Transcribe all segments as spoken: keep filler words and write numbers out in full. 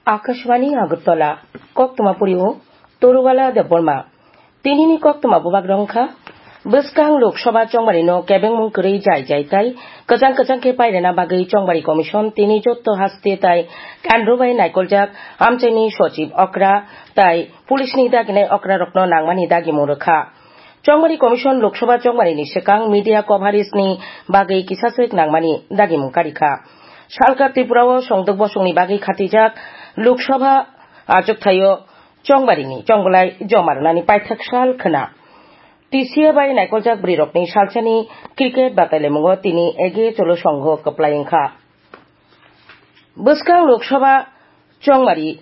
Akashvani Agartala, koktwma pori o Torubala Debbarma. Tinini koktwma bubagrok wngkha, bwskang Lok Sabha chongmari no kebengmung kwrwi jai jai tai kwchang kwchang khe pairina bagwi chongmari commission tini jotto haste tai kendro bai naikoljak amchaini sochib okra tai police ni daginai okra rokno nangmani dagimung rwkha. Chongmari Commission Lok Sabha chongmari ni swkang media coverage ni bagwi kisa swk nangmani dagimung karikha. Salka Tripura o songdok bosong ni bagwi khatijak Lok Sabha achukthai o chongmari ni chongbolai joma rwnani paithak sal khwna. T C A bai naikoljak bwrwi rokni salsani cricket batailaimungo tini ege cholo songho kwplai wngkha. Bwskang Lok Sabha chongmari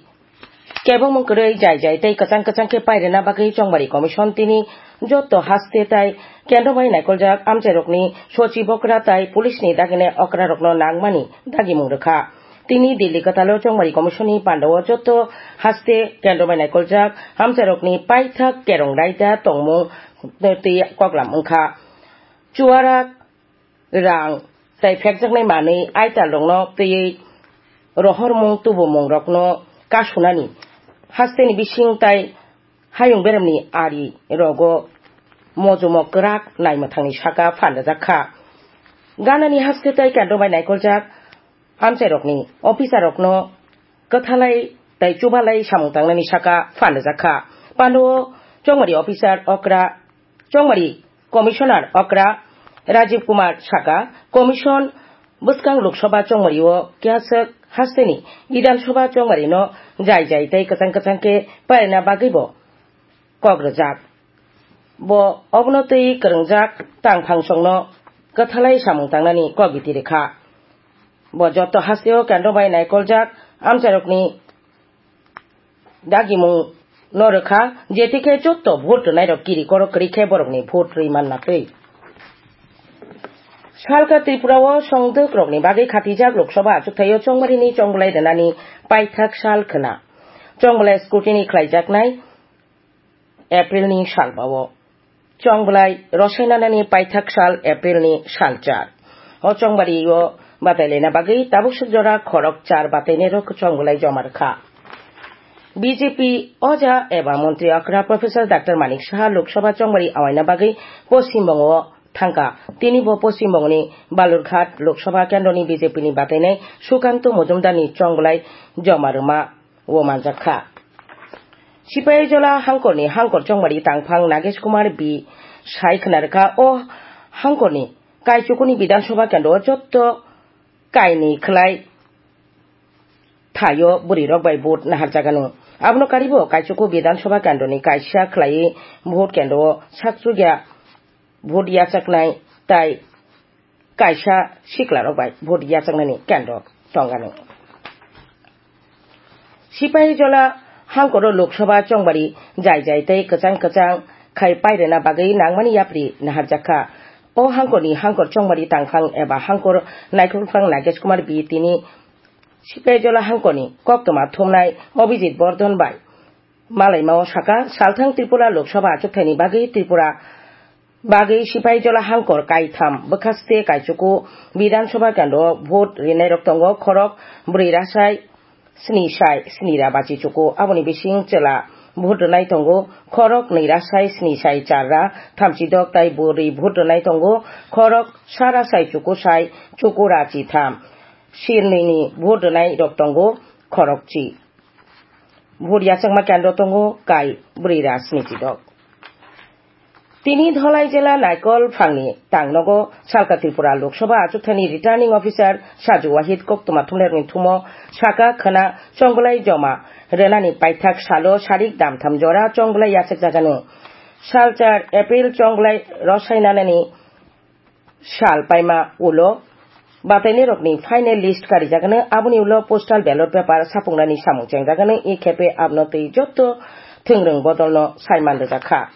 kebengmung kwrwi jai jai tei kwchang kwchang khe pairina bagwi chongmari commission tini jotto haste tai kendro bai naikoljak amchairokni sochib okra tai police ni dagine okra rokno nangmani dagimung rwkha. Tini Delhi kwtalo chongmari commission ni pandao jotto haste kendro bai naikoljak amchairokni paithak kerong raida tongmung twi koklam wngkha. Chuarak rang tai phekjaknai manwi aitalrokno twiwi rohormung tubumungrokno kasunani hasteni bising tai hayung beremni ari rogo mojomo kwrak naimwthangni saka phan rwjak kha. Ganani haste tai kendro bai naikoljak amchairokni officerrokno kwthalai tai chubalai samung tangnani saka phan rwjak kha. Pando chongmari officer okra Chongmari Commissioner okra Rajiv Kumar saka, Commission bwskang Lok Sabha chongmari o kiyaswk hasteni Bidhan Sabha chongmari no jai jai tei kwchang kwchang khe pairina bagwi bo kok rwjak. Bo obono twi kwrwngjak tangphangsongno kwthalai samung tangnani kok biti rwkha. Bo joto hasteo kendro bai naikoljak amchairokni dagimung no rwkha, jetikhe jotto vote rwnairok kiri koro kwrwi khe borokni vote rwi manna twi. Salka Tripura o songdwk rokni bagwi khatijak Lok Sabha achukthai o chongmari ni chongbolai rwnani paithak sal khwna. Chongbolai scrutiny khlaijaknai April ni sal bao. Chongbolai rosai nanani paithak sal April ni sal char. O chongbari o batailaina bagwi tabuk suk jora khorok char batainairok chongbolai joma rwkha. B J P oja eba montri okra Professor Doctor Manik Saha Lok Sabha chongbari awaina bagwi Poschim Bongo o thangkha. Tini bo Poschim Bongoni Balurghat Lok Sabha kendroni B J P ni batainai Sukanto Mojumdar ni chongbolai joma rwma o manjak kha. Sipaijala hangkorni hangkor chongmari tangphang Nagesh Kumar B sai khwna rwkha. O hangkorni Kaichukuni Bidhan Sabha kendro o jotto kainwi khwlai thaio bwrwi rok bai vote naharjagano. Abono karibo Kaichuku Bidhan Sabha kendroni kaisa khwlaiwi vote kendro o sakchukya vote yachaknai tai kaisa siklarok bai vote yachaknani kendro tongani. Sipaijala hangkoro Lok Sabha chongbari jai jai tei kwchang kwchang khai pairwna bagwi nangmani yapri naharjakha. O hangkorni hangkor chongbari tangphang eba hangkor naikolphang Nagesh Kumar B tini Sipaijala hangkorni koktwma thumnai Abhijit Bardhan bai malaimao saka, salthang Tripura Lok Sabha achukthani bagwi Tripura bagwi Sipaijala hangkor kaitham bwkhaste Kaichuku Bidhan Sabha kendro vote rinairok tongo khorok bwrwi rasai sni sai sni ra bachi chuku. Aboni bising chwla vote rwnai tongo khorok nwi rasai sni sai char ra thamchi dok tai bwrwi vote rwnai tongo khorok sa rasai chuku sai chuku ra chi tham. Sirnwini vote rwnairok tongo khorok chi. Vote yachakma kendro tongo kai bwrwi ra sni chi dok. Tini Dholai jela Naikol phangni tangnogo salka Tripura Lok Sabha achukthani Returning Officer Saju Wahid koktwma thumnairokni thumo saka khwna chongbwlai joma rwnani paithak salo sarik damtham jora chongbwlai yachakjagano. Salchar April chongbwlai rosai nanani sal paima ulo batainairokni final list karijagano, aboni ulo postal ballot paper sapungnani samung chengjagano, e khepe abno twi jotto thwngrwng bodolno saiman rwjakha.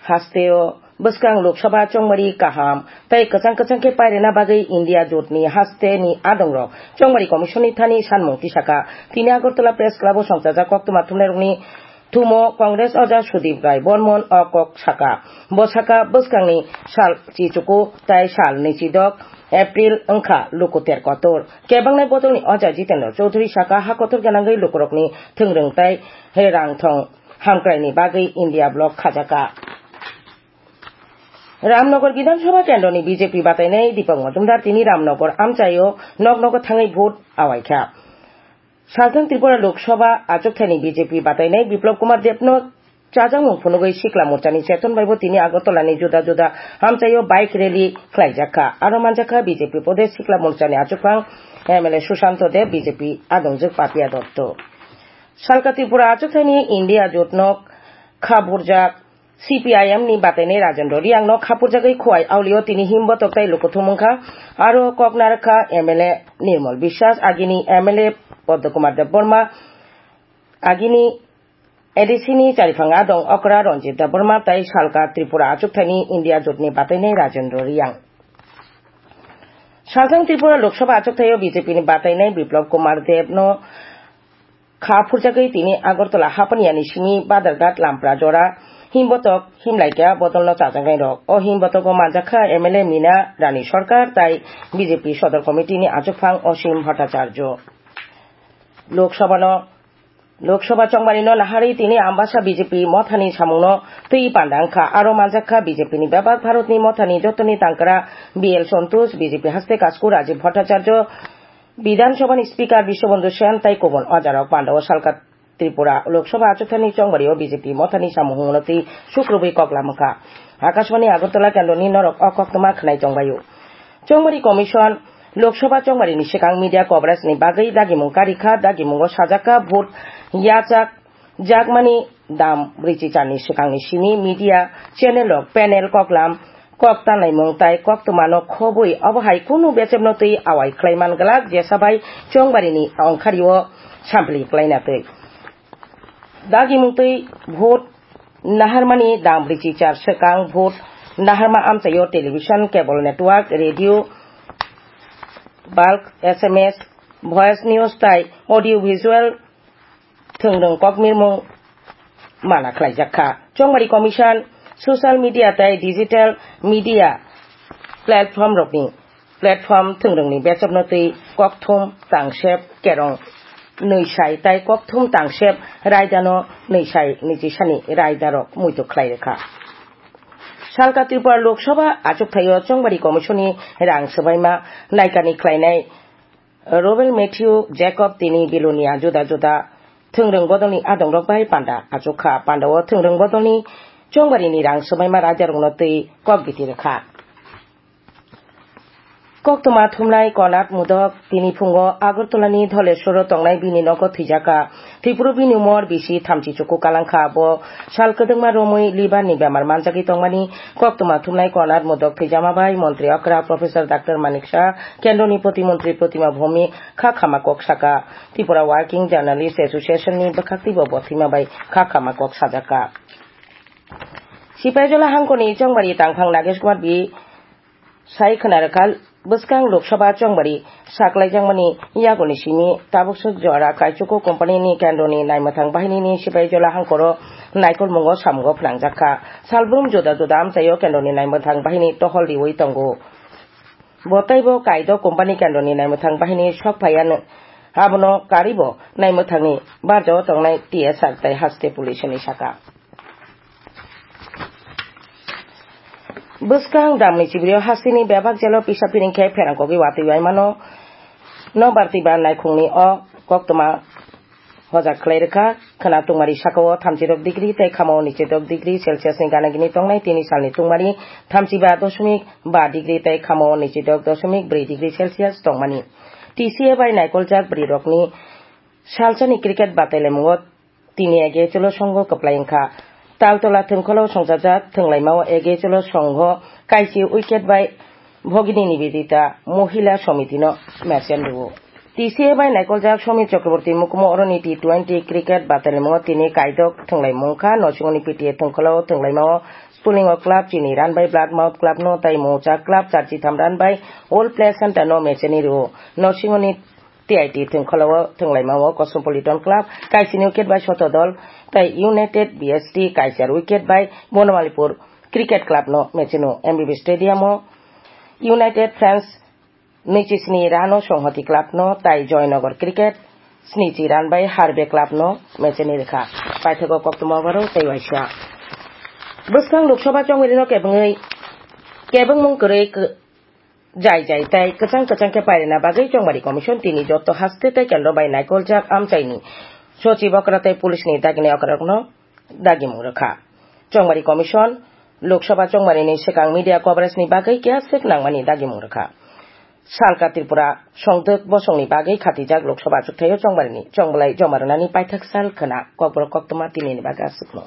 Hasteo bwskang Lok Sabha chongmari kaham tei kwchang kwchang khe pairwna bagwi India jotni hasteni adongrok chongmari commissionni thani sanmung tisaka. Tini Agartala Press Club-o songchajak koktwma thumnairokni thumo Congress oja Sudip Rai Bormon o kok saka. Bo saka bwskangni sal chichuku tai sal nwichidok April wngkha luku ter kotor. Kebangnai bodolni oja Jitendra Chowdhury saka ha kotor gwnangwi lukurokni thwngrwng tai rang thong hamkraini bagwi India block khajaka. Ramnagar Bidhan Sabha kendroni B J P batainai Deepak Majumdar tini Ramnagar amchaio nok nogo thangwi vote awaikha. Salthang Tripura Lok Sabha achukthani B J P batainai Biplab Kumar Debno chajakmung phunugwi Sikla Morchani Cheton baibo tini Agartala ni juda juda amchaio bike rally khlaijakha. Aro manjakha B J P Pradesh Sikla Morchani achukphang M L A Sushanto Deb, B J P adongjwk Papia Dotto. Salka Tripura achukthani India jotno kha burjak C P I M ni batainai Rajendra Riang no khapurjagwi Khowai Aulio tini himbotok tai lukuthum wngkha. Aro kok narwkha M L A Nirmal Biswas, agini M L A Padma Kumar Debbarma, agini A D C ni chariphang adong okra Ranjit Debbarma tai Salka Tripura achukthani India jotni batainai Rajendra Riang. Salthang Tripura Lok Sabha achukthai o B J P ni batainai Biplab Kumar Deb no kha phurjagwi tini Agartala Hapaniani simi Badarghat Lampra jora himbotok himlaikha bodolno chajaknairok. O himbotogo manjakha M L A Mina Rani Sarkar tai B J P Sodor Committee ni achukphang Osim Bhattacharya. Lok Sabha no, Lok Sabha chongmari no naharwi tini Ambasa B J P mothani samungno twi panda wngkha. Aro manjakha B J P ni bebak Bharatni mothani jotoni tangkra B L Santosh, B J P haste kasku Rajiv Bhattacharya, Bidhan Sabha ni Speaker Biswabandhu Sen tai kubun ojarok pandao salka Tripura Lok Sabha achukthani chongmari o B J P mothani samung hwnwi sukrubwi kok lamwkha. Akashbani Agartala kendroni norok o koktwma khwnai tongbaio. Chongmari Commission Lok Sabha chongmari ni swkang media coverage ni bagwi dagimung karikha, dagimungo sajakha vote yachak jakmani dam brwichi charni swkangni simi media channel rok panel koklam kok tanlaimung tai koktwmano khobwi obo hai kunu bechepno twi awai khlai man glak jesa bai chongbarini ongkhario sampli klaina twi. Dagimung twi vote naharmani dam brwichi char swkang vote naharma amchaio television, cable network, radio, bulk, S M S, voice news tai audio visual thwngrwng kokmirmung mana khlaijak kha. Chongmari Commission social media tai digital media platform rokni, platform thwngrwngni bechepno twi kokthum tangsep kerong nwi sai tai kokthum tangsep raidano nwi sai niji sani raidarok muitu khlai rwkha. Salka Tripura Lok Sabha achukthai o Chongmari Commission ni rang swbaima naikani khlainai Robel Matthew Jacob tini Bilonia juda juda thwngrwng bodolni adongrok bai panda achukha. Panda o thwngrwng bodolni chongbarini rang swbaima raidarokno twi kok biti rwkha. Koktwma thumnai Konat Mudok tini phungo Agartala ni Dholeshwro tongnai bini nogo thwijaka. Thwipru bini umor bisi thamchi chuku kalangkha. Bo sal kwdwkma romwi liver ni bemar manjagwi tongmani koktwma thumnai Konat Mudok thwijama bai Montri okra Professor Doctor Manik Saha, Kendroni Protimontri Protima Bhaumik kha khama kok saka. Tripura Working Journalist Association ni bwkhak twibo bo thwima bai kha khama kok sajaka. Sipaijola hangkoni Chongbari tangphang Nagesh Kumar B sai khwna rwkha, bwskang Lok Sabha Chongbari saklaijakmani yagulni simi tabuk swk jora Kaichukwu company ni kendroni naimwthang bahinini Sipaijola hangkoro naikolmungo samungo phnangjakha. Salbrum juda juda amchaio kendroni naimwthang bahini tohol riwi tongo. Bo teibo Kaido company kendroni naimwthang bahini sok phaiya, abono karibo naimwthangni barjao tongnai T S R tei haste police hinwi saka. Bwskang damni chibrio hasteni bebak jelo pisa piring khe pherang kogwi watwi waimano no barti ba naikhungni o koktwma hojak khlai rwkha. Khwna tungmari sakao thamchi rok degree tei khamao nichi dok degree Celsius ni gana gini tongnai. Tini salni tungmari thamchi ba dosmik ba degree tei khamao nichi dok dosmik bwrwi degree Celsius tongmani. T C A bai naikoljak bwrwi rokni salsani cricket batailamungo tini ege cholo songho kwplai wngkha. Taltola thwngkholo songchajak thwnglaimao ege cholo songho kaisi wicket bai Bhogini Nivedita Mohila Somitino mesen rwo. T C A bai naikoljak Somit Chakraborty mukumo oroni T twenty cricket batailamungo tini kaidok thwnglaimung kha. Nosingoni P T A thwngkholo thwnglaimao Spulingo club chini run bai Bloodmouth club no tai Moucha club charchi tham run bai Old Play Center no mecheni rwo. Nosingoni T I T thwngkholo o thwnglaimao Cosmopolitan Club kaisini wicket bai Sotodol tai United B S T kaisa wicket bai Bonomalipur Cricket Club no mecheno M B B Stadium o United Friends Nwichi sni rano Songhoti club no tai Joynagar Cricket snichi ran bai Harbe club no mecheni rwkha. Paithago koktwma borok tei waisa. Bwskang Lok Sabha chongmari no kebengwi kebengmung kwrwi k-, jai jai tei kwchang kwchang khe pairina bagwi chongmari commission tini joto haste tei kendro bai naikoljak amchaini sochib okra tei police ni dagini okra rokno dagimung rwkha. Chongmari commission Lok Sabha chongmari ni swkang media coverage ni bagwi keha swk nangmani dagimung rwkha. Salka Tripura songdwk bosongni bagwi khatijak Lok Sabha achukthai o chongmari ni chongbolai joma rwnani paithak sal khwna kokborok koktwma tini ni bagwi aswkno.